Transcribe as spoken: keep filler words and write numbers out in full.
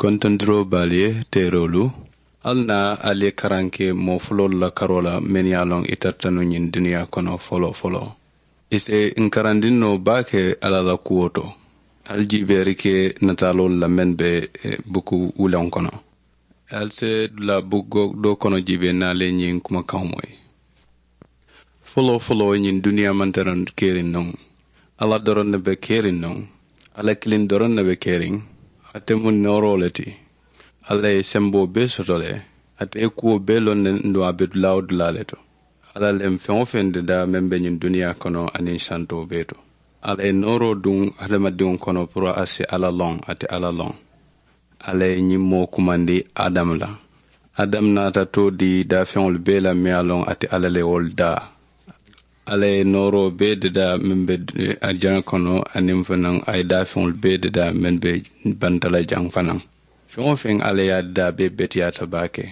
Kontondiroo baalu ye teeroolu, ali naa ali ye karaŋ ke moo fuloolu la karoo la mennu ye a loŋ i tarata nuŋ ñiŋ duniyaa kono foloo foloo. I si n karandiŋ noo baake alla la kuwo to. Ali jiibeeri ke nataaloolu la mennu be buku wuleŋo kono. Ali si dulaa buku doo kono jiibee niŋ ali ye ñiŋ kumakaŋo moyi. Foloo foloo ñiŋ duniyaa maŋ tara keriŋ nuŋ. Alla doroŋ ne be keriŋ nuŋ. Alla kiliŋ doroŋ ne be keriŋ. Ate mu nooroo le ti. Alla ye semboo bee soto le. Ate ye kuwo bee loŋ ne nduŋ a be dulaa wo dulaa le to. Alla le mu feŋ-wo-feŋ dadaa meŋ be ñiŋ duniyaa kono aniŋ santoo bee to. Alla ye nooroo duŋ hadamadiŋo kono puru a si alla loŋ ate alla loŋ. Alla ye ñiŋ moo kumandi adamu la. Adamu naata too dii daafeŋolu bee la meŋ ye a loŋ ate alla le wolu daa. Alla ye nooroo bee dadaa meŋ be arijana kono aniŋ fanaŋ a ye daafeŋolu bee dadaa meŋ be banta la jaŋ fanaŋ. Feŋ-wo-feŋ alla ye a dadaa bee beteyaata baake.